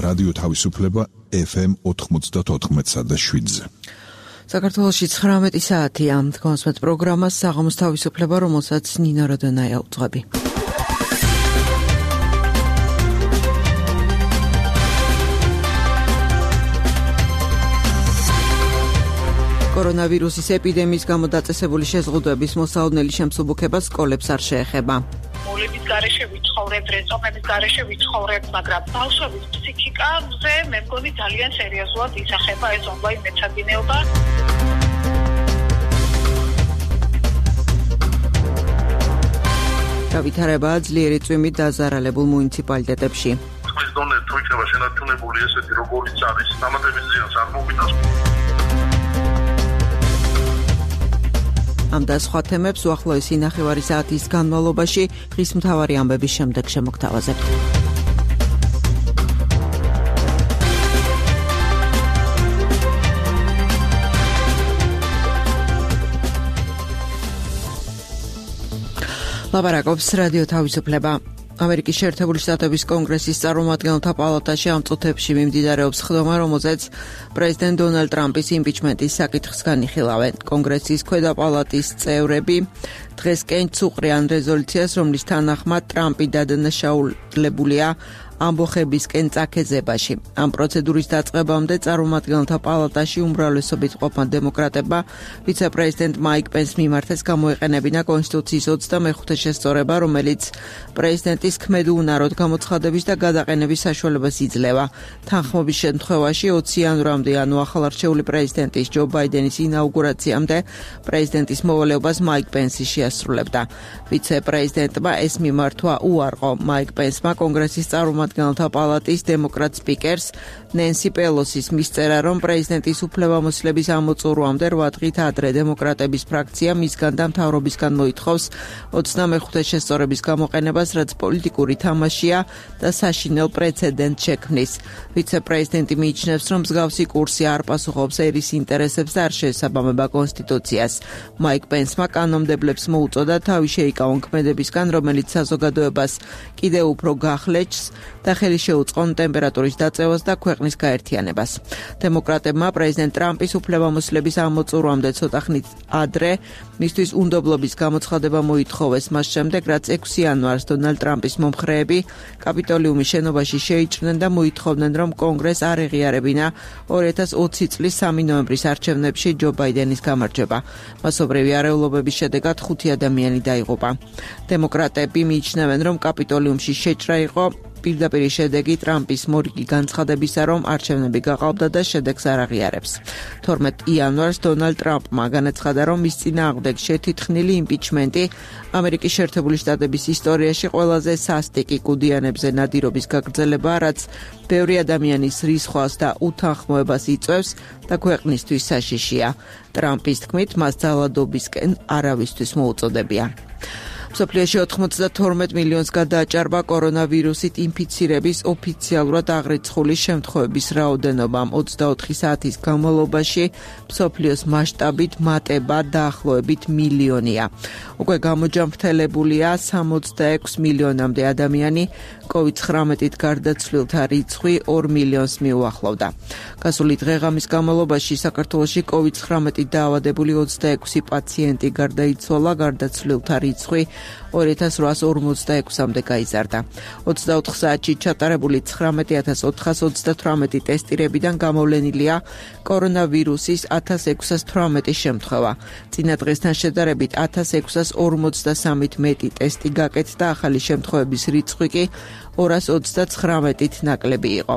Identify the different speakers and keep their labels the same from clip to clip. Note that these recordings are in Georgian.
Speaker 1: რადიო თავისუფლება FM 94.7-ზე.
Speaker 2: საქართველოში 19 საათია. კონსმეთ პროგრამას საღამოს თავისუფლება, რომელსაც ნინო როდონაია უძღვები. კორონავირუსის ეპიდემიის გამო დაწესებული შეზღუდვების მოსალოდნელი შემსუბუქება სკოლებს არ შეეხება.
Speaker 3: მოლების გარეშე ვიცხოვრებ, რეწომების გარეშე ვიცხოვრებ, მაგრამ ბავშვების ფსიქიკაზე მე მგონი ძალიან სერიოზულად ისახება ეს ონლაინ მეცადინეობა.
Speaker 2: გავითარებაა ძლიერი წვიმით დაზარალებულ მუნიციპალიტეტებში.
Speaker 4: ხმის დონე თუ იქნება შენარჩუნებული ესეთი როგორიც არის, დამატების ზიანს არ მოგიტანს.
Speaker 2: ამ და სხვა თემებს უახლოესი ნახევარი საათის განმავლობაში დღის მთავარი ამბების შემდეგ შემოგთავაზებთ. ლაპარაკობს რადიო თავისუფლება. ამერიკის შეერთებული შტატების კონგრესის წარმომადგენელთა პალატაში ამ წუთებში მიმდინარეობს ხდომა, რომელზეც პრეზიდენტ დონალდ ტრამპის იმპიჩმენტის საკითხს განიხილავენ. კონგრესის ქვედა პალატის წევრები დღესკენ წუყრიან რეზოლუციას, რომლის თანახმად ტრამპი დადანაშაულებულია ამბოხებისკენ წაქეზებაში. ამ პროცედურის დაწყებამდე წარმომადგენელთა პალატაში უმრავლესობით ყოფნა დემოკრატებმა ვიცე-პრეზიდენტ მაიკ პენსს მიმართეს გამოეყენებინა კონსტიტუციის 25 შესწორება, რომელიც პრეზიდენტის ქმედუნაროდ გამოცხადების და გადაყენების საშუალებას იძლევა. თანხმობის შემთხვევაში 20 იანვრამდე, ანუ ახალარჩეული პრეზიდენტის ჯო ბაიდენის ინაუგურაციამდე პრეზიდენტის მოვალეობას მაიკ პენსი შეასრულებდა. ვიცე-პრეზიდენტმა ეს მიმართვა უარყო. მაიკ პენსმა კონგრესის წარმომადგენელთა პალატის დემოკრატ სპიკერს ნენსი პელოსის მისწერა, რომ პრეზიდენტის უფლებამოსილების ამოწურვამდე 8 დღით ადრე დემოკრატების ფრაქცია მისგან და მთავრობისგან მოითხოვს 25 შესწორების გამოყენებას, რაც პოლიტიკური თამაშია და საშინელ პრეცედენტს შექმნის. ვიცე-პრეზიდენტი მიიჩნევს, რომ მსგავსი კურსი არ პასუხობს ერის ინტერესებს და არ შეესაბამება კონსტიტუციას. მაიკ პენსმა კანონმდებლებს მოუწოდა თავი შეიკავონ ქმედებისგან, რომელიც საზოგადოებას კიდევ უფრო გახლეჩს და ხელი შეუწყონ ტემპერატურის დაწევას და ქვეყნის გაერთიანებას. დემოკრატებმა პრეზიდენტ ტრამპის უფლებამოსილების ამოწურვამდე ცოტა ხნით ადრე მისთვის უნდობლობის გამოცხადება მოითხოვეს, მას შემდეგ, რაც 6 იანვარს დონალდ ტრამპის მომხრეები კაპიტოლიუმის შენობაში შეიჭრნენ და მოითხოვდნენ, რომ კონგრესს არ ეღიარებინა 2020 წლის 3 ნოემბრის არჩევნებში ჯო ბაიდენის გამარჯვება. მასობრივი არეულობების შედეგად 5 ადამიანი დაიღუპა. დემოკრატები მიიჩნევენ, რომ კაპიტოლიუმში შეჭრა იყო პირდაპირ შედეგი ტრამპის მორიგი განცხადებისა, რომ არჩევნები გაყალბდა და შედეგს არ აღიარებს. 12 იანვარს დონალდ ტრამპმა განაცხადა, რომ მის წინააღმდეგ შეთითხნილი იმპიჩმენტი ამერიკის შეერთებული შტატების ისტორიაში ყველაზე სასტიკი კუდიანებზე ნადირობის გაგრძელებაა, რაც ბევრი ადამიანის რისხვას და უთანხმოებას იწვევს და ქვეყნისთვის საშიშია. ტრამპის თქმით, მას ძალადობისკენ არავისთვის მოუწოდებია. მსოფლიოში 92 მილიონს გადააჭარბა კორონავირუსით ინფიცირების ოფიციალურად აღრიცხული შემთხვევების რაოდენობა. 24 საათის განმავლობაში მსოფლიოს მასშტაბით მატება დაახლოებით მილიონია. უკვე გამოჯამრთელებულია 66 მილიონამდე ადამიანი, COVID-19-ით გარდაცვლილთა რიცხვი 2 მილიონს მიუახლოვდა. გასული დღე-ღამის განმავლობაში საქართველოში COVID-19-ით დაავადებული 26 პაციენტი გარდაიცვალა, გარდაცვლილთა რიცხვი 2846-მდე გაიზარდა. 24 საათში ჩატარებული 19428 ტესტირებიდან გამოვლენილია კორონავირუსის 1618 შემთხვევა. წინა დღესთან შედარებით 1653 მეტი ტესტი გაკეთდა, ახალი შემთხვევების რიცხვი კი 229-ით ნაკლები იყო.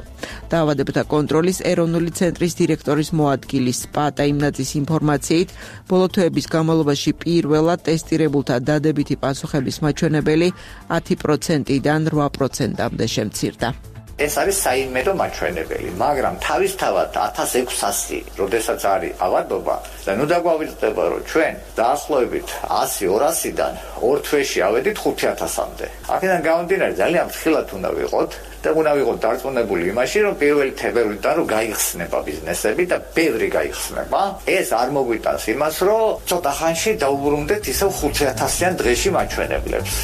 Speaker 2: დაავადებათა კონტროლის ეროვნული ცენტრის დირექტორის მოადგილის პატა იმნაძის ინფორმაციით, ბოლო თვეების განმავლობაში პირველად ტესტირებულთა დადებითი პასუხების მაჩვენებელი 10%-დან 8%-მდე შემცირდა.
Speaker 5: ეს არის საიმედო მაჩვენებელი, მაგრამ თავისთავად 1600, როდესაც არის ავადობა და ნუ დაგვავიწყდება, რომ ჩვენ დაახლოებით 100-200-დან 2 თვეში ავედით 5000-მდე. აქედან გამომდინარე ძალიან ფრთხილად უნდა ვიყოთ და უნდა ვიყოთ დარწმუნებული იმაში, რომ პირველი თებერვლიდან რომ გაიხსნება ბიზნესები და ბევრი გაიხსნება, ეს არ მოგვიტანს იმას, რომ ცოტა ხანში დაუბრუნდეთ ისევ 5000-იან დღეში მაჩვენებლებს.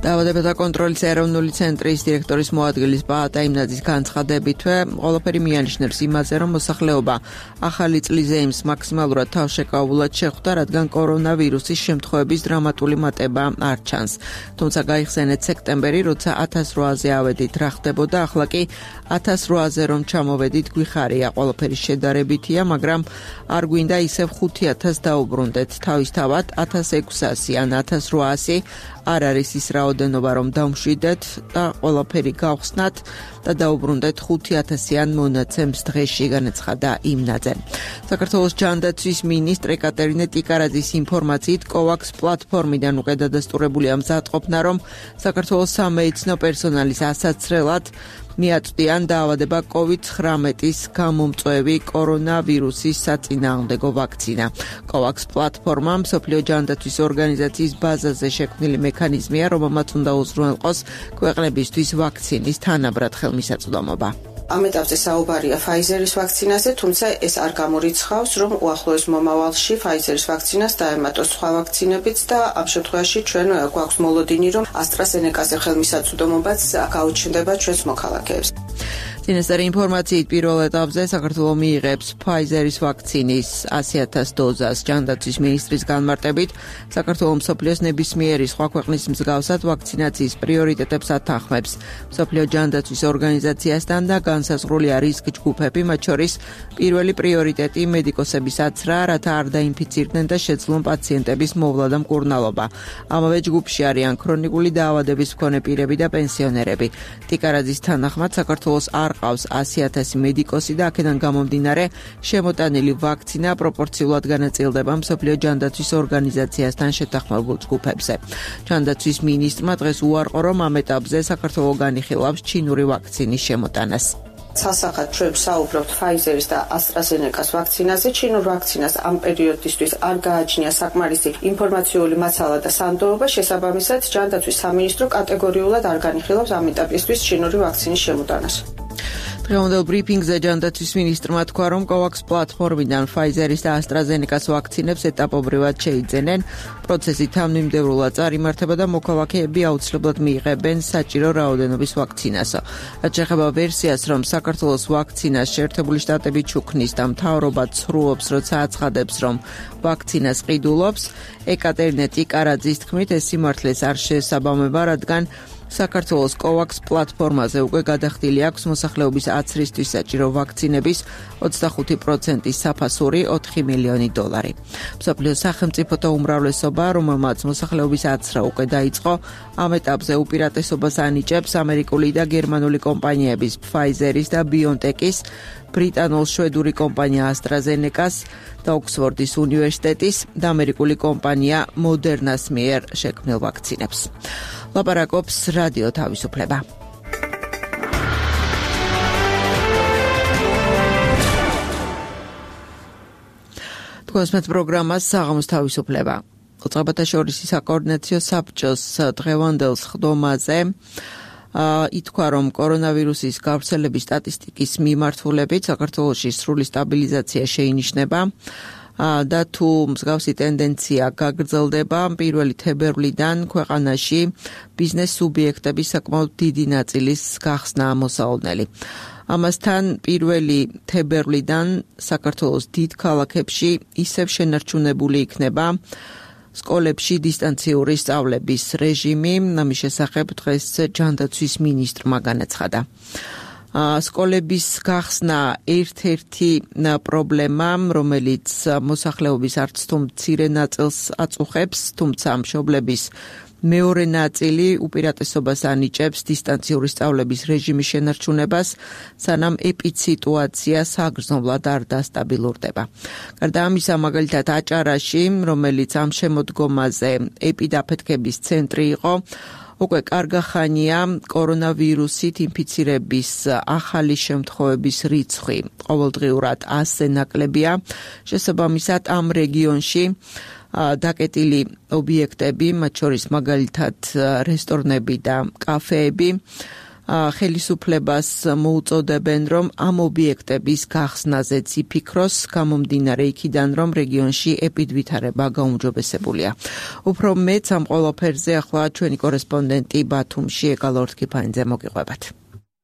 Speaker 2: დაავადებათა კონტროლის ეროვნული ცენტრის დირექტორის მოადგილის ბაატა იმნაძის განცხადებითვე ყველაფერი მიანიშნებს იმაზე, რომ მოსახლეობა ახალი წლის ზეიმს მაქსიმალურად თავშეკავულად შეხვდა, რადგან კორონავირუსის შემთხვევების დრამატული მატება არ ჩანს. თუმცა გაიხსენეთ სექტემბერი, როცა 1800-ზე ავედით რა ხდებოდა, ახლა კი 1800-ზე რომ ჩამოვედით გვიხარია, ყველაფერი შედარებითია, მაგრამ არ გვინდა ისევ 5000 დაუბრუნდეთ. თავისთავად 1600 ან 1800 არ არის ის რაოდენობა, რომ დავმშვიდეთ და ყველაფერი გავხსნათ და დაუბრუნდეთ 5000-იან მონაცემს დღეში, განაცხადა იმნაძე. საქართველოს ჯანდაცვის მინისტრი ეკატერინე ტიკარაძის ინფორმაციით COVAX პლატფორმიდან უკვე დადასტურებულია მზადყოფნა, რომ საქართველოს სამედიცინო პერსონალის ასაცრელად მიაწვდიან დაავადება COVID-19-ის გამომწვევი კორონავირუსის საწინააღმდეგო ვაქცინა. COVAX პლატფორმა მსოფლიო ჯანდაცვის ორგანიზაციის ბაზაზე შექმნილი მექანიზმია, რომელმაც უნდა უზრუნველყოს ქვეყნებისთვის ვაქცინის თანაბრად ხელმისაწვდომობა.
Speaker 6: Am etapზე საუბარია Pfizer-ის ვაქცინაზე, თუმცა ეს არ გამორიცხავს, რომ უახლოეს მომავალში Pfizer-ის ვაქცინას დაემატოს სხვა ვაქცინებიც და ამ შემთხვევაში ჩვენ გვაქვს მოლოდინი, რომ AstraZeneca-ზე ხელმისაწვდომობაც გაუჩნდება ჩვენს მოქალაქეებს.
Speaker 2: წინასწარი ინფორმაციით პირველ ეტაპზე საქართველო მიიღებს Pfizer-ის ვაქცინის 100,000 დოზას. ჯანდაცვის მინისტრის განმარტებით, საქართველო მსოფლიოს ნებისმიერი სხვა ქვეყნის მსგავსად ვაქცინაციის პრიორიტეტებს ათანხმებს. მსოფლიო ჯანდაცვის ორგანიზაციასთან და განსაზღვრულია რისკ ჯგუფები, მათ შორის პირველი პრიორიტეტი მედიკოსების აცრა, რათა არ დაინფიცირდნენ და შეძლონ პაციენტების მოვლა და მკურნალობა. ამავე ჯგუფში არიან ქრონიკული დაავადების მქონე პირები და პენსიონერები. ტიკარაძის თანახმად საქართველოს არ ყავს 100,000 მედიკოსი და აქედან გამომდინარე შემოტანილი ვაქცინა პროპორციულად განაწილდება მსოფლიო ჯანდაცვის ორგანიზაციასთან შეთანხმებულ ჯგუფებზე. ჯანდაცვის მინისტრმა დღეს უარყო, რომ ამ ეტაპზე საქართველო განიხილავს ჩინური ვაქცინის შემოტანას.
Speaker 6: Სასახად ჩვენ საუბრობთ Pfizer-ის და AstraZeneca-s ვაქცინაზე. ჩინურ ვაქცინას ამ პერიოდისთვის არ გააჩნია საკმარისი ინფორმაციული მაცალა და სანდოობა, შესაბამისად ჯანდაცვის სამინისტრო კატეგორიულად არ განიხილავს ამ ეტაპისთვის ჩინური ვაქცინის შემოტანას.
Speaker 2: დღევანდელ ბრიფინგზე ჯანდაცვის მინისტრმა თქვა, რომ COVAX პლატფორმიდან Pfizer-ის და AstraZeneca-s ვაქცინებს ეტაპობრივად შეიძენენ. პროცესი თანმიმდევრულად წარიმართება და მოქალაქეები აუცილებლად მიიღებენ საჭირო რაოდენობის ვაქცინას. რაც შეეხება ვერსიას, რომ საქართველოს ვაქცინას შეერთებული შტატები ჩუქნის და მთავრობა ცრუობს, როცა აცხადებს, რომ ვაქცინას ყიდულობს, ეკატერინე ტიკარაძის თქმით, ეს სიმართლეს არ შეესაბამება, რადგან საქართველოს COVAX პლატფორმაზე უკვე გადახდილი აქვს მოსახლეობის აცრისთვის საჭირო ვაქცინების 25%-ის საფასური $4 მილიონი. მსოფლიოს სახელმწიფოთა უმრავლესობა, რომელმაც მოსახლეობის აცრა უკვე დაიწყო, ამ ეტაპზე უპირატესობას ანიჭებს ამერიკული და გერმანული კომპანიების Pfizer-ის და BioNTech-ის, ბრიტანულ-შვედური კომპანია AstraZeneca-s და ოქსფორდის უნივერსიტეტის და ამერიკული კომპანია Moderna-s მიერ შექმნილ ვაქცინებს. ლაპარაკობს რადიო თავისუფლება. თქვენს პროგრამას საღამოს თავისუფლება. ოწყებათა შორის საკოორდინაციო საბჭოს დღევანდელ სხდომაზე ითქვა, რომ კორონავირუსის გავრცელების სტატისტიკის მიმართულებით საქართველოში სრული სტაბილიზაცია შეინიშნება და თუ მსგავსი ტენდენცია გაგრძელდება, 1 თებერვლიდან ქვეყანაში ბიზნეს სუბიექტების საკმაოდ დიდი ნაწილის გახსნაა მოსაოდნელი. ამასთან 1 თებერვლიდან საქართველოს დიდ ქალაქებში ისევ შენარჩუნებული იქნება სკოლებში დისტანციური სწავლების რეჟიმი. ამის შესახებ დღეს ჯანდაცვის მინისტრმა განაცხადა. სკოლების გახსნა ერთ-ერთი პრობლემა, რომელიც მოსახლეობის არც თუ მცირე ნაწილს აწუხებს, თუმცა მშობლების მეორე ნაწილი უპირატესობას ანიჭებს დისტანციური სწავლების რეჟიმის შენარჩუნებას, სანამ ეპიდსიტუაცია საგრძნობლად არ დასტაბილურდება. გარდა ამისა, მაგალითად აჭარაში, რომელიც ამ შემოდგომაზე ეპიდაფეთქების ცენტრი იყო, უკვე კარგა ხანია კორონავირუსით ინფიცირების ახალი შემთხვევების რიცხვი ყოველდღიურად 100-ზე ნაკლებია. შესაბამისად, ამ რეგიონში დაკეტილი ობიექტები, მათ შორის მაგალითად რესტორნები და კაფეები, ხელისუფლებას მოუწოდებენ, რომ ამ ობიექტების გახსნაზეც იფიქროს, გამომდინარე იქიდან, რომ რეგიონში ეპიდვითარება გაუმჯობესებულია. უფრო მეც ამ ყველაფერზე ახლა ჩვენი კორესპონდენტი ბათუმში ეგალორთ კიფანიძე მოგიყვებათ.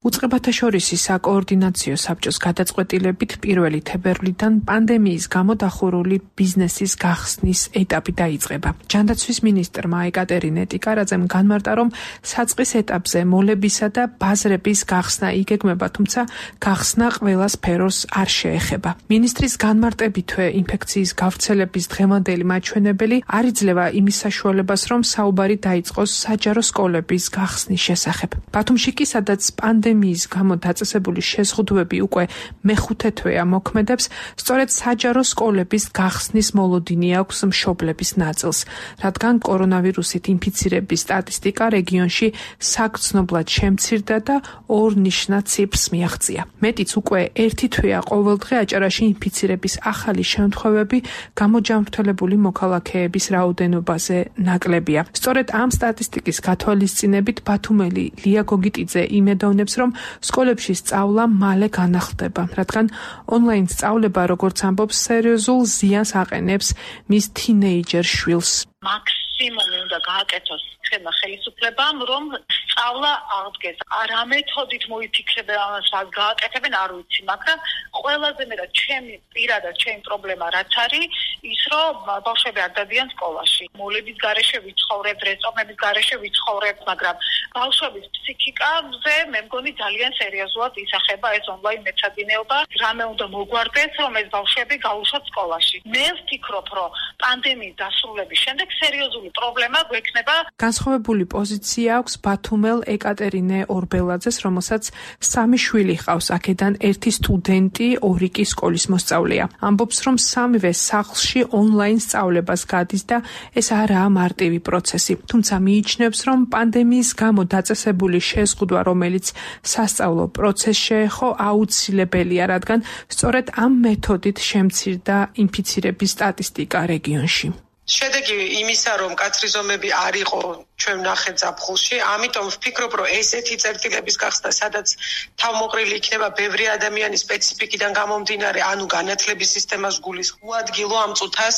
Speaker 7: უწყებათა შორისი საკოორდინაციო საბჭოს გადაწყვეტილებით 1 თებერვლიდან პანდემიის გამო დახურული ბიზნესის გახსნის ეტაპი დაიწყება. ჯანდაცვის მინისტრმა ეკატერინე ტიკარაძემ განმარტა, რომ საწყის ეტაპზე მოლებისა და ბაზრების გახსნა იგეგმება, თუმცა გახსნა ყველა სფეროს არ შეეხება. მინისტრის განმარტებითვე ინფექციის გავრცელების დღევანდელი მაჩვენებელი არ იძლევა იმის საშუალებას, რომ საუბარი დაიწყოს საჯარო სკოლების გახსნის შესახებ. ბათუმში კი, სადაც პანდემიის გამო დაწესებული შეზღუდვები უკვე მეხუთე თვეა მოქმედებს, სწორედ საჯარო სკოლების გახსნის მოლოდინი აქვს მშობლების ნაწილს, რადგან კორონავირუსით ინფიცირების სტატისტიკა რეგიონში საგრძნობლად შემცირდა და ორ ნიშნად ციფრს მიაღწია. მეტიც უკვე ერთი თვეა ყოველდღე აჭარაში ინფიცირების ახალი შემთხვევები გამოჯანმრთელებული მოქალაქეების რაოდენობაზე ნაკლებია. სწორედ ამ სტატისტიკის გათვალისწინებით ბათუმელი ლია გოგიტიძე იმედოვნებს, რომ სკოლებში სწავლა მალე განახლდება, რადგან ონლაინ სწავლება, როგორც ამბობს, სერიოზულ ზიანს აყენებს მის თინეიჯერ შვილს.
Speaker 3: მაქსიმუმი უნდა გააკეთოს ხელისუფლებამ, რომ სწავლა აღდგეს. არა მეთოდით მოიფიქრებენ ამას, რა გააკეთებენ, არ ვიცი, მაგრამ ყველაზე მეტად პირადად ჩემი პრობლემა რაც არის, ის რომ ბავშვები არ დადიან სკოლაში. მოლების გარეშე ვიცხოვრებ, რეწომების გარეშე ვიცხოვრებ, მაგრამ ბავშვების ფსიქიკაზე მე მგონი ძალიან სერიოზულად ისახება ეს ონლაინ მეცადინეობა. რამე უნდა მოგვარდეს, რომ ეს ბავშვები გაუშვათ სკოლაში. მე ვფიქრობ, რომ პანდემიის დასრულების შემდეგ სერიოზული პრობლემა გვექნება.
Speaker 7: განსხვავებული პოზიცია აქვს ბათუმელ ეკატერინე ორბელაძეს, რომელსაც 3 შვილი ჰყავს, აქედან 1 სტუდენტი, 2 კი სკოლის მოსწავლეა. ამბობს, რომ სამივე სახლში ონლაინ სწავლებას გადის და ეს არაა მარტივი პროცესი. თუმცა მიიჩნევს, რომ პანდემიის გამო დაწესებული შეზღუდვა, რომელიც სასწავლო პროცესს შეეხო, აუცილებელია, რადგან სწორედ ამ მეთოდით შემცირდა ინფიცირების სტატისტიკა რეგიონში.
Speaker 8: შედეგი იმისა, რომ კაცრი ზომები არ იყო ჩვენ ნახეთ ზაფხულში, ამიტომ ვფიქრობ, რომ ესეთი წერტილების გახსნა, სადაც თავმოყრილი იქნება ბევრი ადამიანის სპეციფიკიდან გამომდინარე, ანუ განათლების სისტემას გულისხმობს, უადგილო ამ წუთას,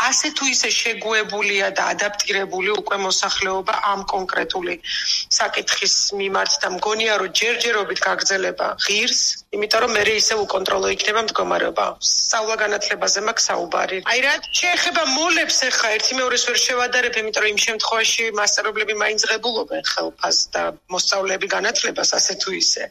Speaker 8: ასე თუ ისე შეგუებულია და ადაპტირებული უკვე მოსახლეობა ამ კონკრეტული საკითხის მიმართ და მგონია, რომ ჯერჯერობით გაგრძელება ღირს, იმიტომ რომ მე ისე უკონტროლო იქნება მდგომარეობა. სწავლა განათლებაზე მაქვს საუბარი. აი რა შეეხება მოლებს ხა ერთი მეორეს ვერ შევადარებ, იმიტომ რომ იმ შემთხვევაში მასწავლებლები მაინც ღებულობენ ხელფასს და მოსწავლეები განათლებას ასე თუ ისე.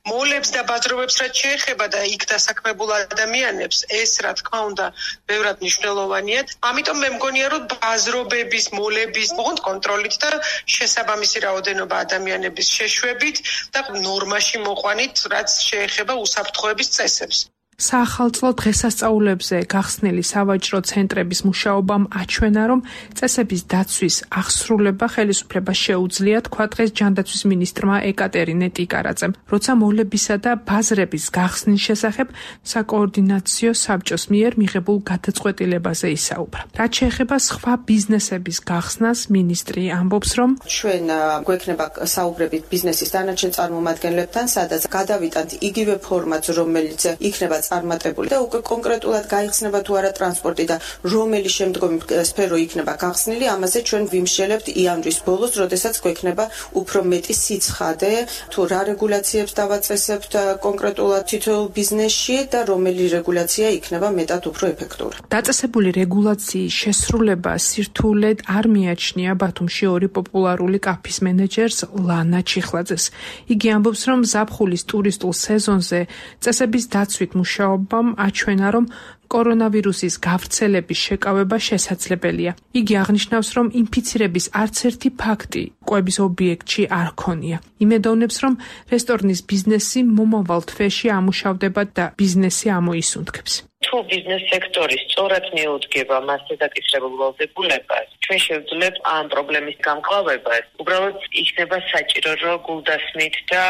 Speaker 8: მოლებს და ბაზრობებს რაც შეეხება და იქ დასაქმებულ ადამიანებს, ეს რა თქმა უნდა ბევრად მნიშვნელოვანია. ამიტომ მე მგონია, რომ ბაზრობების, მოლების მოხდ კონტროლით და შესაბამისი რაოდენობა ადამიანების შეშვებით და ნორმაში მოყვანით, რაც შეეხება უსაფრთხოების წესებს.
Speaker 7: საახალწლო დღესასწაულებზე გახსნილი სავაჭრო ცენტრების მუშაობამ აჩვენა, რომ წესების დაცვის აღსრულება ხელისუფლებას შეუძლია, თქვა დღეს ჯანდაცვის მინისტრმა ეკატერინე ტიკარაძემ, როცა მოლებისა და ბაზრების გახსნის შესახებ საკოორდინაციო საბჭოს მიერ მიღებულ გადაწყვეტილებაზე ისაუბრა. რაც შეეხება სხვა ბიზნესების გახსნას, მინისტრი ამბობს, რომ
Speaker 6: ჩვენ გვექნება საუბრებით ბიზნესის დანარჩენ წარმომადგენლებთან, სადაც გადავიტანთ იგივე ფორმატს, რომელიც იქნება წარმატებული და უკვე კონკრეტულად გაიხსნება თუ არა ტრანსპორტი და რომელი შემდგომი სფერო იქნება გახსნილი, ამაზე ჩვენ ვიმსჯელებთ იანვრის ბოლოს, როდესაც გვექნება უფრო მეტი სიცხადე, თუ რა რეგულაციებს დავაწესებთ კონკრეტულად თითოეულ ბიზნესში და რომელი რეგულაცია იქნება მეტად უფრო ეფექტური.
Speaker 7: დაწესებული რეგულაციის შესრულება სირთულედ არ მიაჩნია ბათუმში 2 პოპულარული კაფის მენეჯერს ლანა ჩიხლაძეს. იგი ამბობს, რომ ზაფხულის ტურისტულ სეზონზე წესების დაცვით მუშაობამ აჩვენა, რომ კორონავირუსის გავრცელების შეკავება შესაძლებელია. იგი აღნიშნავს, რომ ინფიცირების არც ერთი ფაქტი კვების ობიექტში არ ქონია. იმედოვნებს, რომ რესტორნის ბიზნესი მომავალ თვეში ამუშავდება და ბიზნესი ამოისუნთქებს.
Speaker 9: თუ ბიზნეს სექტორი სწორად მიუძგება მასზე დაკისრებულ ვალდებულებას, ჩვენ შევძლებთ ამ პრობლემის გამკლავებას. უბრალოდ იქნება საჭირო, რომ გულდასმით და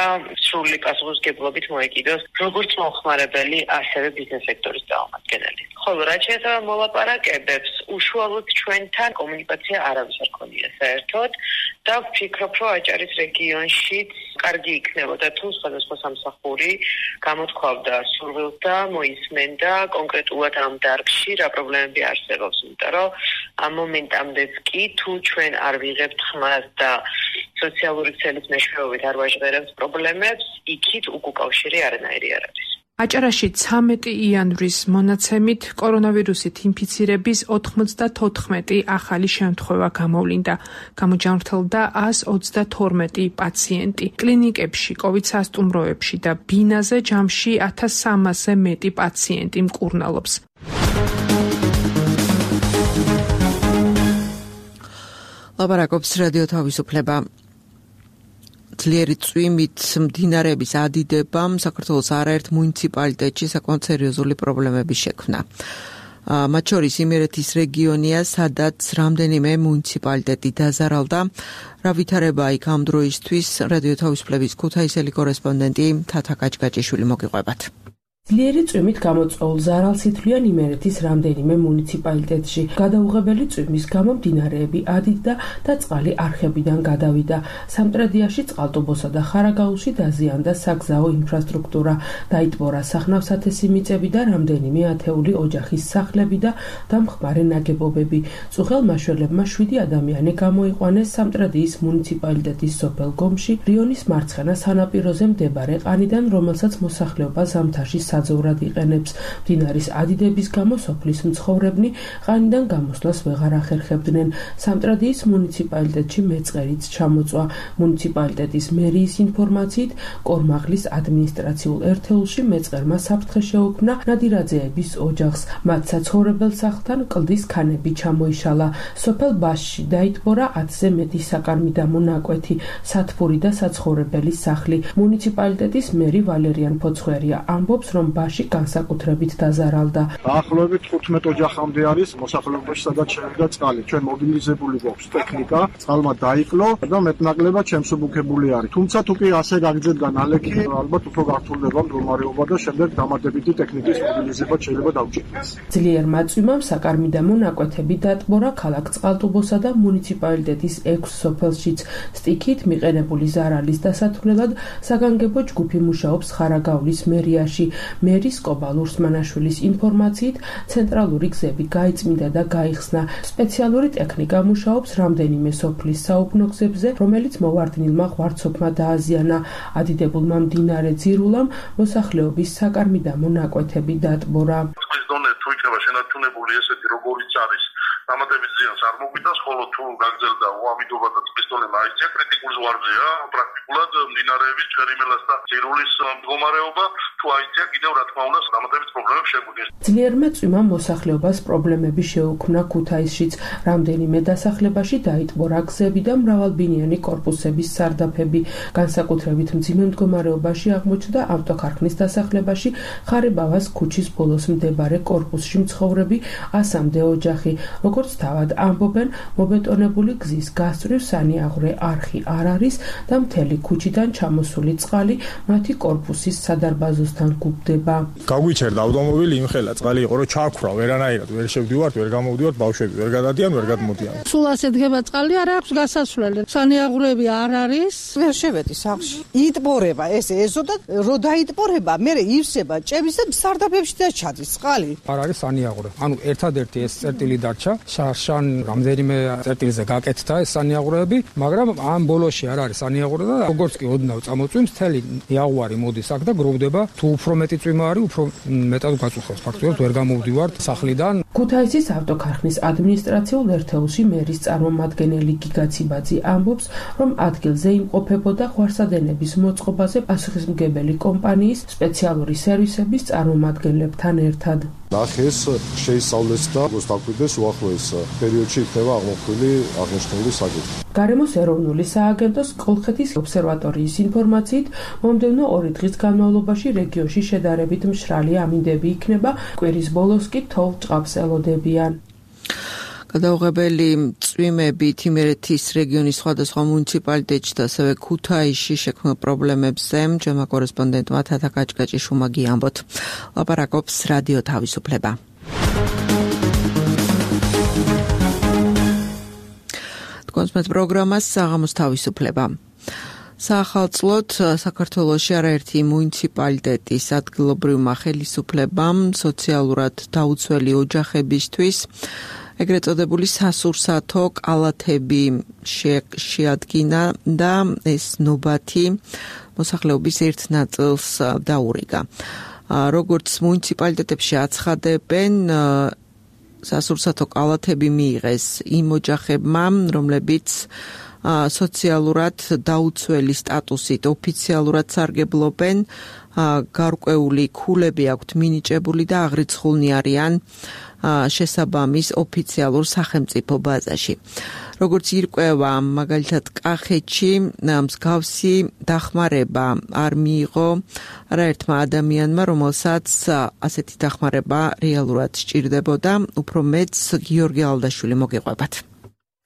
Speaker 9: სრული პასუხისმგებლობით მოეკიდოს როგორც მომხმარებელი, ასევე ბიზნეს სექტორის წარმომადგენელი. ხოლო რაც შეეხება მოლაპარაკებებს, უშუალოდ ჩვენთან კომუნიკაცია არავის არ ქონია საერთოდ და ვფიქრობ, რომ აჭარის რეგიონშიც კარგი იქნებოდა თუ სხვადასხვა სამსახური გამოთქვავდა სურვილს და მოისმენდა კონკრეტულად ამ დარგში რა პრობლემები არსებობს, იმიტომ რომ ამ მომენტამდეც კი თუ ჩვენ არ ვიღებთ ხმას და სოციალური ქსელის მეშვეობით არ ვაჟღერებთ პრობლემებს, იქით უკავშირი არანაირი არ არის.
Speaker 7: აჭარაში 13 იანვრის მონაცემით კორონავირუსით ინფიცირების 94 ახალი შემთხვევა გამოვლინდა. გამოჯანმრთელდა 132 პაციენტი. კლინიკებში, COVID სასტუმროებში და ბინაზე ჯამში 1300-ზე მეტი პაციენტი მკურნალობს.
Speaker 2: ლაპარაკობს რადიო თავისუფლება. ძლიერი წვიმით მდინარეების ადიდებამ საქართველოს არაერთ მუნიციპალიტეტში საკმაოდ სერიოზული პრობლემები შექმნა. მათ შორის იმერეთის რეგიონია, სადაც რამდენიმე მუნიციპალიტეტი დაზარალდა. რა ვითარებაა იქ ამ დროისთვის, რადიო თავისუფლების ქუთაისელი კორესპონდენტი თათა კაჭკაჭიშვილი მოგიყვებათ.
Speaker 10: ძლიერი წვიმით გამოწვეულ ზარალს ითვლიან იმერეთის რამდენიმე მუნიციპალიტეტში. გადაუღებელი წვიმის გამო მდინარეები ადიდდა და წყალი არხებიდან გადავიდა. სამტრედიაში, წყალტუბოსა და ხარაგაულში დაზიანდა საგზაო ინფრასტრუქტურა. დაიტბორა სახნავ-სათესი მიწები და რამდენიმე ათეული ოჯახის სახლები და დამხმარე ნაგებობები. წუხელ-მაშველებმა 7 ადამიანი გამოიყვანეს სამტრედიის მუნიციპალიტეტის სოფელ გომში, რიონის მარცხენა სანაპიროზე მდებარე ყანიდან, რომელსაც მოსახლეობა ზამთარში საძოვრად იყენებს. მდინარის ადიდების გამო სოფლის მცხოვრებნი ყანიდან გამოსვლას ვეღარ ახერხებდნენ. სამტრედიის მუნიციპალიტეტში მეწყერიც ჩამოწვა. მუნიციპალიტეტის მერიის ინფორმაციით, კორმაღლის ადმინისტრაციულ ერთეულში მეწყერმა საფრთხე შეუქმნა ნადირაძეების ოჯახს. მათ საცხოვრებელ სახლთან კლდის ქანები ჩამოიშალა. სოფელ ბაშში დაიტბორა 10-ზე მეტი საკარმიდამო ნაკვეთი, სათბური და საცხოვრებელი სახლი. მუნიციპალიტეტის მერი ვალერიან ფოცხვერია ამბობს, რომ ბაში განსაკუთრებით დაზარალდა.
Speaker 11: დაახლოებით 15 ოჯახამდე არის მოსახლეობაში, სადაც შევიდა წყალი. ჩვენ მობილიზებული გვაქვს ტექნიკა, წყალმა დაიკლო და მეტნაკლებად შემსუბუქებული არის. თუმცა თუ კი ასე გაგრძელდა ნალექი, ალბათ უფრო გართულდება მდგომარეობა და შემდეგ დამატებითი ტექნიკის მობილიზება შეიძლება დავჭირდეს.
Speaker 10: ძლიერმა წვიმამ საკარმიდამო ნაკვეთები დატბორა ქალაქ წყალტუბოსა და მუნიციპალიტეტის 6 სოფელშიც. სტიქით მიყენებული ზარალის დასათვლელად საგანგებო ჯგუფი მუშაობს ხარაგაულის მერიაში. მერის კობალ ურსმანაშვილის ინფორმაციით, ცენტრალური გზები გაიწმინდა და გაიხსნა. სპეციალური ტექნიკა მუშაობს რამდენიმე სოფლის საუბნო გზებზე, რომელიც მოვარდნილმა ღვარცობმა დააზიანა. ადიდებულმა მდინარე ძირულამ მოსახლეობის საკარმიდამო ნაკვეთები დატბორა.
Speaker 4: წყლის დონე თუ იქნება შენარჩუნებული ესეთი როგორიც არის, დამატებით ზიანს არ მოგვიტანს, ხოლო თუ გაგრძელდა უამიდობა და წყლის დონე მაინც კრიტიკულ ზღვარზეა, პრაქტიკულად მდინარეების ჩერიმელას და ძირულის მდგომარეობა თუ აიცია კიდევ რა თქმა უნდა დამატებით პრობლემებს შეგვიძლია.
Speaker 10: ძლიერმა წვიმამ მოსახლეობას პრობლემები შეუქმნა ქუთაისშიც. რამდენიმე დასახლებაში დაიტბორა გზები და მრავალბინიანი კორპუსების სარდაფები. განსაკუთრებით მძიმე მდგომარეობაში აღმოჩნდა ავტოქარხნის დასახლებაში ხარებავას ქუჩის ბოლოს მდებარე კორპუსში მცხოვრები 100-მდე ოჯახი. როგორც თავად ამბობენ, მობეტონებული გზის გასწვრივ სანიაღვრე არხი არ არის და მთელი ქუჩიდან ჩამოსული წყალი მათი კორპუსის სადარბაზოსთან გუბდება.
Speaker 11: გაგვიჩერდა ავტომობილი იმხელა, წყალი იყო, რომ ჩააქვრა, ვერანაირად ვერ შევდივართ, ვერ გამოვდივართ, ბავშვები ვერ გადადიან, ვერ გადმოდიან.
Speaker 12: სულ ასე დგება წყალი, არ აქვს გასასვლელი. სანიაღვრები არ არის.
Speaker 13: ვერ შევედი სახლში. იტბორება ესე ეზოდა, რო დაიტბორება, მე ივსება ჭების და სარდაფებში და ჩადის წყალი.
Speaker 14: არ არის სანიაღვრე. ანუ ერთადერთი ეს წერტილი დარჩა. შარშან რამდენიმე წერტილზე გაკეთდა ეს სანიაღვრეები, მაგრამ ამ ბოლოში არ არის სანიაღვრე და როგორც კი ოდნავ წამოწვიმს, მთელი იაღვარი მოდის აქ და გროვდება. თუ უფრო მეტი წვიმა არის, უფრო მეტად გაწუხავს. ფაქტობრივად ვერ გამოვდივართ სახლიდან.
Speaker 10: ქუთაისის ავტოქარხნის ადმინისტრაციულ ერთეულში მერის წარმომადგენელი გიგა ციბაძე ამბობს, რომ ადგილზე იმყოფებოდა ღვარსადენების მოწყობაზე პასუხისმგებელი კომპანიის სპეციალური სერვისების წარმომადგენლებთან ერთად.
Speaker 11: ნახეს შეისწავლეს და როგორც დაგვიდეს უახლოეს პერიოდში იქნება აღმოფხვრილი აღნიშნული საკითხი.
Speaker 10: გარემოს ეროვნული სააგენტოს კოლხეთის ობსერვატორიის ინფორმაციით, მომდევნო 2 დღის განმავლობაში რეგიონში შედარებით მშრალი ამინდები იქნება, კვირის ბოლოს კი თოვლ ჭყავს ელოდებიან.
Speaker 2: გადაუღებელი წვიმებით იმერეთის რეგიონის სხვადასხვა მუნიციპალიტეტში და ასევე ქუთაისში შექმნილ პრობლემებზე ჩემმა კორესპონდენტმა თათა კაჭკაჭიშვილმა გიამბოთ. ლაპარაკობს რადიო თავისუფლება. კონსმეთ პროგრამას საღამოს თავისუფლება. საახალწლოდ საქართველოში არაერთი მუნიციპალიტეტის ადგილობრივმა ხელისუფლებამ სოციალურად დაუცველი ოჯახებისთვის ეგრეთ წოდებული სასურსათო კალათები შეადგინა და ეს ნობათი მოსახლეობის ერთ ნაწილს დაურიგა. როგორც მუნიციპალიტეტებში აცხადებენ, სასურსათო კალათები მიიღეს იმ ოჯახებმა, რომლებიც სოციალურად დაუცველი სტატუსით ოფიციალურად სარგებლობენ, გარკვეული ქულები აქვთ მინიჭებული და აღრიცხულნი არიან შესაბამის ოფიციალურ სახელმწიფო ბაზაში. როგორც ირკვევა, მაგალითად კახეთში მსგავსი დახმარება არ მიიღო არაერთმა ადამიანმა, რომელსაც ასეთი დახმარება რეალურად სჭირდებოდა. უფრო მეც გიორგი ალდაშვილი მოგიყვებათ.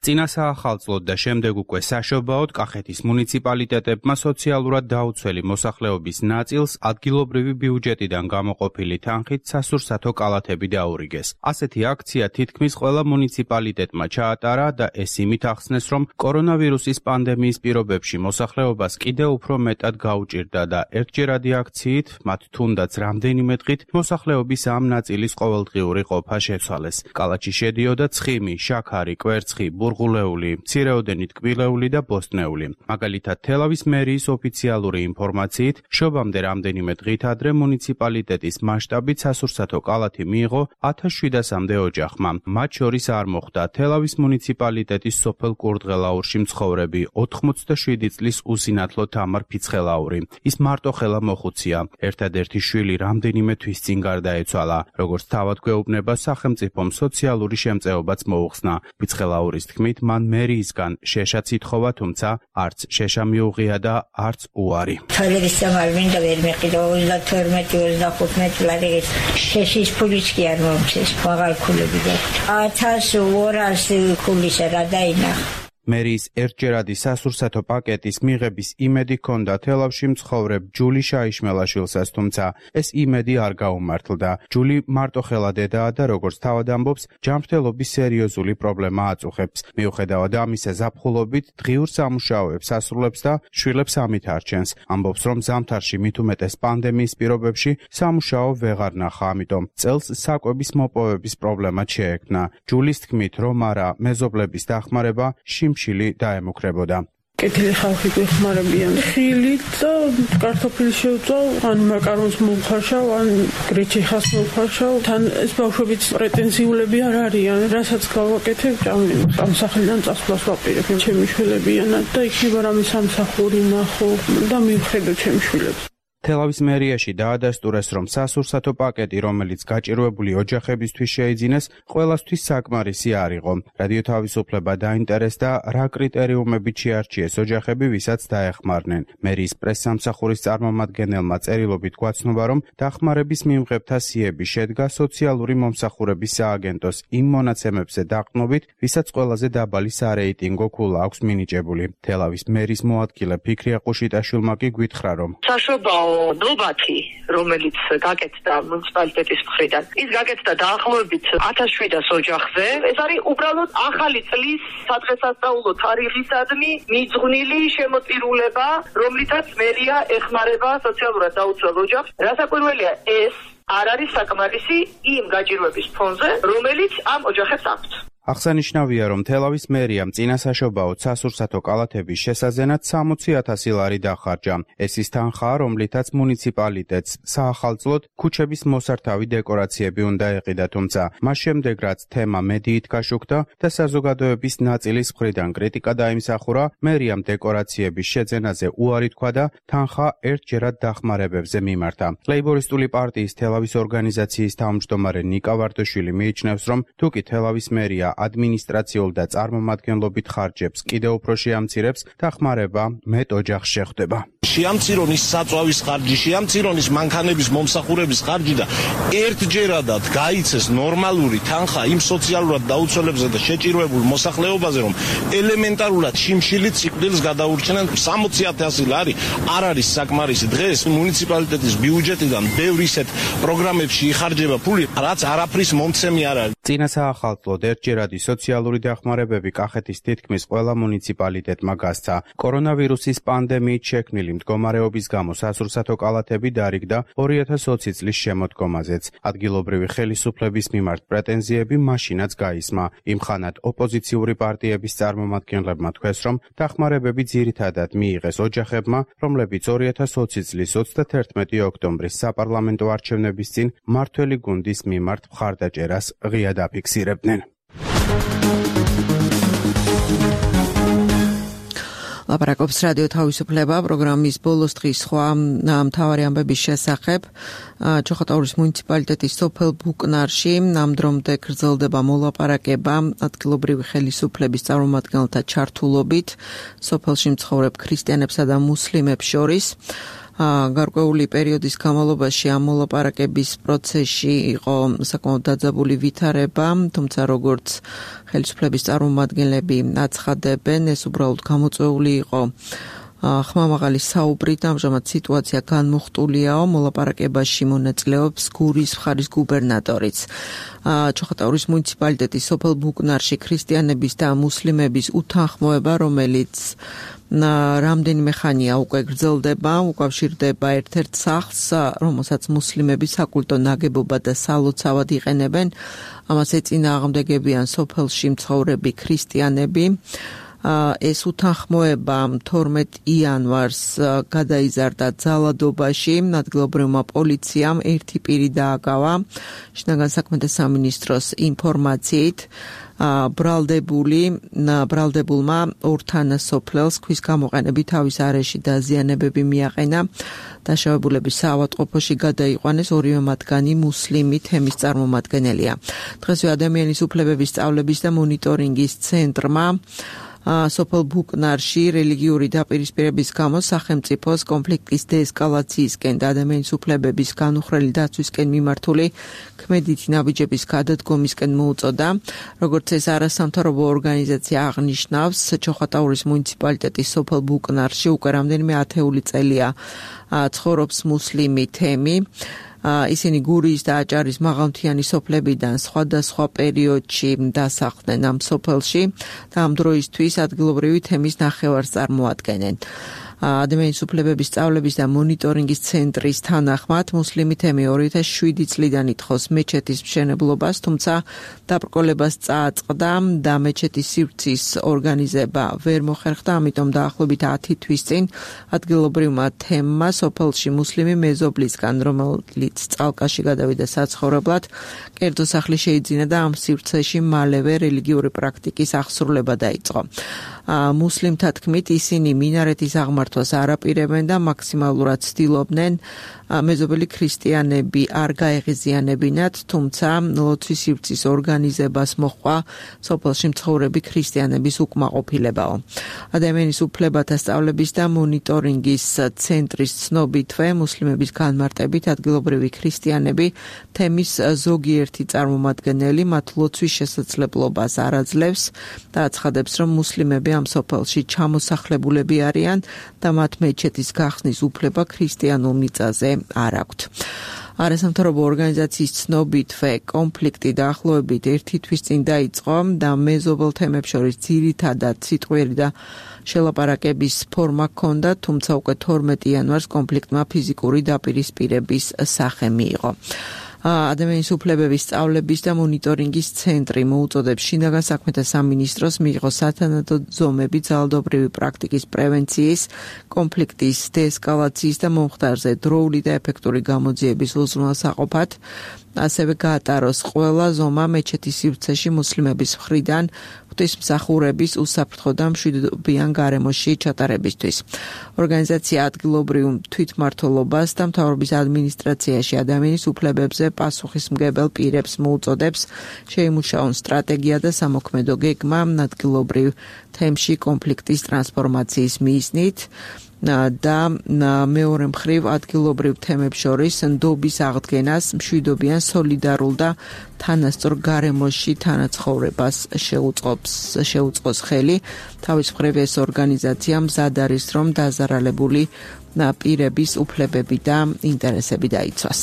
Speaker 15: წინა საახალწლოდ და შემდეგ უკვე საშობაოდ კახეთის მუნიციპალიტეტებმა სოციალურად დაუცველი მოსახლეობის ნაწილს ადგილობრივი ბიუჯეტიდან გამოყოფილი თანხით სასურსათო კალათები დაურიგეს. ასეთი აქცია თითქმის ყველა მუნიციპალიტეტმა ჩაატარა და ეს იმით ახსნეს, რომ კორონავირუსის პანდემიის პირობებში მოსახლეობას კიდევ უფრო მეტად გაუჭირდა და ერთჯერადი აქციით, მათ თუნდაც რამდენიმე დღით მოსახლეობის ამ ნაწილის ყოველდღიური ყოფა შეცვალეს. კალათში შედიოდა ცხიმი, შაქარი, კვერცხი, ბურღულეული, მცირეოდენი ტკბილეული და ბოსტნეული. მაგალითად, თელავის მერიის ოფიციალური ინფორმაციით, შობამდე რამდენიმე დღით ადრე მუნიციპალიტეტის მასშტაბით სასურსათო კალათი მიიღო 1700-მდე ოჯახმა. მათ შორის არ მოხვდა თელავის მუნიციპალიტეტის სოფელ კურდღელაურში მცხოვრები 87 წლის უსინათლო თამარ ფიცხელაური. ის მარტოხელა მოხუცია. ერთადერთი შვილი რამდენიმე თვის წინ გარდაეცვალა. როგორც თავად გვეუბნება, სახელმწიფომ სოციალური შემწეობაც მოუხსნა. ფიცხელაურის თქმით, მან მერიისგან შეშაც ითხოვა, თუმცა არც შეშა მიუღია და არც უარი.
Speaker 16: თალერის სამარ მინდა ვერ მეყიდა 32-25 წლები შეშის ფულიც კი არ მომწეს, მაღალ ქულები გაქვთ. 1200 ქულისა რა დაინახა.
Speaker 15: მერიის ერთჯერადი სასურსათო პაკეტის მიღების იმედი ჰქონდა თელავში მცხოვრებ ჯული შაიშმელაშვილსაც, თუმცა ეს იმედი არ გაუმართლდა. ჯული მარტოხელა დედაა და როგორც თავად ამბობს, ჯანმრთელობის სერიოზული პრობლემა აწუხებს. მიუხედავად ამისა, ზაფხულობით დღიურ სამუშაოებს ასრულებს და შვილებს ამით არჩენს. ამბობს, რომ ზამთარში მით უმეტეს პანდემიის პირობებში სამუშაო ვეღარ ნახა, ამიტომ წელს საკვების მოპოვების პრობლემაც შეექმნა. ჯულის თქმით, რომ არა მეზობლების დახმარება შიმშილი დაემუქრებოდა.
Speaker 17: კეთილი ხალხი გვეხმარებიან. ხილით და კარტოფილი შევწავ, ან მაკარონს მოვხარშავ, ან გრეჩიხას მოვხარშავ. თან ეს ბავშვებიც პრეტენზიულები არ არიან. რასაც გავაკეთებ, ამ სახლიდან წასვლას ვაპირებ. ჩემი შვილებიანად და იქნება რამე სამსახური ნახო და მივხედო ჩემი შვილებს.
Speaker 15: თელავის მერიაში დაადასტურეს, რომ სასურსათო პაკეტი, რომელიც გაჭირვებული ოჯახებისთვის შეიძინეს, ყველასთვის საკმარისი არ იყო. რადიო თავისუფლება დაინტერესდა, რა კრიტერიუმებით შეარჩიეს ოჯახები, ვისაც დაეხმარნენ. მერიის პრესსამსახურის წარმომადგენელმა წერილობით გვაცნობა, რომ დახმარების მიმღებთა სიები შედგა სოციალური მომსახურების სააგენტოს იმ მონაცემებზე დაყრდნობით, ვისაც ყველაზე დაბალი სარეიტინგო ქულა აქვს მინიჭებული. თელავის მერის მოადგილე ფიქრი აყუშიტაშვილმა კი გვითხრა, რომ
Speaker 18: საშობაო ნობათი, რომელიც გაკეთდა მუნიციპალიტეტის მხრიდან, ის გაკეთდა დაახლოებით 1700 ოჯახზე. ეს არის უბრალოდ ახალი წლის სადღესასწაულო თარიღისადმი მიძღვნილი შემოწირულება, რომლითაც მერია ეხმარება სოციალურად დაუცველ ოჯახს. რასაკვირველია, ეს არ არის საკმარისი იმ გაჭირვების ფონზე, რომელიც ამ ოჯახებს აქვთ.
Speaker 15: აღსანიშნავია, რომ თელავის მერიამ წინასაშობაოდ სასურსათო კალათების შესაძენად 60,000 ლარი დახარჯა. ეს ის თანხაა, რომლითაც მუნიციპალიტეტს საახალწლოდ ქუჩების მოსართავი დეკორაციები უნდა ეყიდა, თუმცა მას შემდეგ რაც თემა მედიით გაშუქდა და საზოგადოების ნაწილის მხრიდან კრიტიკა დაიმსახურა, მერიამ დეკორაციების შეძენაზე უარი თქვა და თანხა ერთჯერად დახმარებებზე მიმართა. ლეიბორისტული პარტიის თელავის ორგანიზაციის თავმჯდომარე ნიკა ვარდოშვილი მიიჩნევს, რომ თუკი თელავის მერია ადმინისტრაციულ და წარმომადგენლობით ხარჯებს კიდევ უფრო შეამცირებს, დახმარება მეტ ოჯახს შეხვდება.
Speaker 19: შეამცირონ ის საწვავის ხარჯი, შეამცირონ ის მანქანების მომსახურების ხარჯი და ერთჯერადად გაიცეს ნორმალური თანხა იმ სოციალურად დაუცველებზე და შეჭირვებულ მოსახლეობაზე, რომ ელემენტარულად შიმშილით სიკვდილს გადაურჩნენ. 60,000 ლარი არ არის საკმარისი. დღეს მუნიციპალიტეტის ბიუჯეტიდან ბევრ ისეთ პროგრამებში იხარჯება ფული, რაც არაფრის მომცემი არ არის.
Speaker 15: წინა საახალწლოდ ერთჯერად ჯერადი სოციალური დახმარებები კახეთის თითქმის ყველა მუნიციპალიტეტმა გასცა. კორონავირუსის პანდემიით შექმნილი მდგომარეობის გამო სასურსათო კალათები დარიგდა 2020 წლის შემოდგომაზეც. ადგილობრივი ხელისუფლების მიმართ პრეტენზიები მაშინაც გაისმა. იმხანად ოპოზიციური პარტიების წარმომადგენლებმა თქვეს, რომ დახმარებები ძირითადად მიიღეს ოჯახებმა, რომლებიც 2020 წლის 31 ოქტომბრის საპარლამენტო არჩევნების წინ მმართველი გუნდის მიმართ მხარდაჭერას ღიად აფიქსირებდნენ.
Speaker 2: ლაპარაკობს რადიო თავისუფლება პროგრამის ბოლოს დღის სხვა მთავარი ამბების შესახებ. ჩოხატაურის მუნიციპალიტეტის სოფელ ბუკნარში ამ დრომდე გრძელდება მოლაპარაკება ადგილობრივი ხელისუფლების წარმომადგენელთა ჩართულობით სოფელში მცხოვრებ ქრისტიანებსა და მუსლიმებს შორის. გარკვეული პერიოდის განმავლობაში ამ მოლაპარაკების პროცესში იყო საკმაოდ დაძაბული ვითარება, თუმცა როგორც ხელისუფლების წარმომადგენლები აცხადებენ, ეს უბრალოდ გამოწვეული იყო ხმამაღალი საუბრით. ამჟამად სიტუაცია განმუხტულიაო, მოლაპარაკებაში მონაწილეობს გურის მხარის გუბერნატორიც. ჩოხატაურის მუნიციპალიტეტის სოფელ ბუკნარში ქრისტიანების და მუსლიმების უთანხმოება, რომელიც რამდენიმე ხანია უკვე გრძელდება, უკავშირდება ერთ-ერთ სახლს, რომელსაც მუსლიმები საკულტო ნაგებობად და სალოცავად იყენებენ. ამას ეწინააღმდეგებიან სოფელში მცხოვრები ქრისტიანები. ეს უთანხმოება 12 იანვარს გადაიზარდა ძალადობაში. ადგილობრივმა პოლიციამ ერთი პირი დააკავა. შინაგან საქმეთა სამინისტროს ინფორმაციით ბრალდებულმა ორთანასოფლელს ქვის გამოყენებით თავის არეში დაზიანებები მიაყენა. დაშავებულების საავადმყოფოში გადაიყვანეს, ორივე მათგანი მუსლიმი თემის წარმომადგენელია. დღესვე ადამიანის უფლებების სწავლების და მონიტორინგის ცენტრმა სოფელ ბუკნარში რელიგიური დაპირისპირების გამო სახელმწიფოს კონფლიქტის დეესკალაციისკენ და ადამიანის უფლებების განუხრელი დაცვისკენ მიმართული ქმედითი ნაბიჯების გადადგომისკენ მოუწოდა. როგორც ეს არასამთავრობო ორგანიზაცია აღნიშნავს, ჩოხატაურის მუნიციპალიტეტის სოფელ ბუკნარში უკვე რამდენიმე ათეული წელია ცხოვრობს მუსლიმი თემი. ისინი გურიის და აჭარის მაღალმთიანი სოფლებიდან სხვადასხვა პერიოდში დასახლდნენ ამ სოფელში და ამ დროისთვის ადგილობრივი თემის ნახევარს წარმოადგენენ. ადამიანის უფლებების სწავლების და მონიტორინგის ცენტრის თანახმად მუსლიმი თემი 2007 წლიდან ითხოვს მეჩეთის მშენებლობას, თუმცა დაბრკოლებას წააწყდა და მეჩეთის სივრცის ორგანიზება ვერ მოხერხდა, ამიტომ დაახლოებით 10 თვის წინ ადგილობრივმა თემმა სოფელში მუსლიმი მეზობლისგან, რომელიც წალკაში გადავიდა საცხოვრებლად, კერძო სახლი შეიძინა და ამ სივრცეში მალევე რელიგიური პრაქტიკის აღსრულება დაიწყო. მუსლიმთა თქმით, ისინი მინარეთის აღმართვას არ აპირებენ და მაქსიმალურად ცდილობდნენ მეზობელი ქრისტიანები არ გაეღიზიანებინათ, თუმცა ლოცვის სივრცის ორგანიზებას მოჰყვა სოფელში მცხოვრები ქრისტიანების უკმაყოფილებაო. ადამიანის უფლებათა სწავლების და მონიტორინგის ცენტრის ცნობითვე მუსლიმების განმარტებით ადგილობრივი ქრისტიანები თემის ზოგიერთი წარმომადგენელი მათ ლოცვის შესაძლებლობას არ აძლევს და აცხადებს, რომ მუსლიმები ამ სოფელში ჩამოსახლებულები არიან და მათ მეჩეთის გახსნის უფლება ქრისტიანულ მიწაზე არ აქვთ. არასამთავრობო ორგანიზაციის ცნობითვე კონფლიქტი დაახლოებით 1 თვის წინ დაიწყო და მეზობელ თემებს შორის ძირითადად სიტყვიერი და შელაპარაკების ფორმა ჰქონდა, თუმცა უკვე 12 იანვარს კონფლიქტმა ფიზიკური დაპირისპირების სახე მიიღო. ადამიანის უფლებების სწავლების და მონიტორინგის ცენტრი მოუწოდებს შინაგან საქმეთა სამინისტროს მიიღოს სათანადო ზომები ძალადობრივი პრაქტიკის პრევენციის, კონფლიქტის დეესკალაციის და მომხდარზე დროული და ეფექტური გამოძიების უზრუნველსაყოფად, ასევე გაატაროს ყველა ზომა მეჩეთის სივრცეში მუსლიმების მხრიდან ღვთისმსახურების უსაფრთხო და მშვიდობიან გარემოში ჩატარებისთვის. ორგანიზაცია ადგილობრივ თვითმმართველობას და მთავრობის ადმინისტრაციაში ადამიანის უფლებებზე პასუხისმგებელ პირებს მოუწოდებს შეიმუშაონ სტრატეგია და სამოქმედო გეგმა ადგილობრივ თემში კონფლიქტის ტრანსფორმაციის მიზნით და მეორე მხრივ ადგილობრივ თემებს შორის ნდობის აღდგენას, მშვიდობიან, სოლიდარულ და თანასწორ გარემოში თანაცხოვრებას შეუწყოს ხელი. თავის მხრივ ეს ორგანიზაცია მზად არის, რომ დაზარალებული პირების უფლებები და ინტერესები დაიცვას.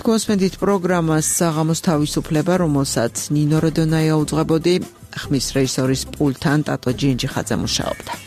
Speaker 2: გვასმენთ პროგრამას საღამოს თავისუფლება, რომელსაც ნინო როდონაია უძღვებოდი, ხმის რეჟისორის პულტთან ტატო ჯინჯიხაძე მუშაობდა.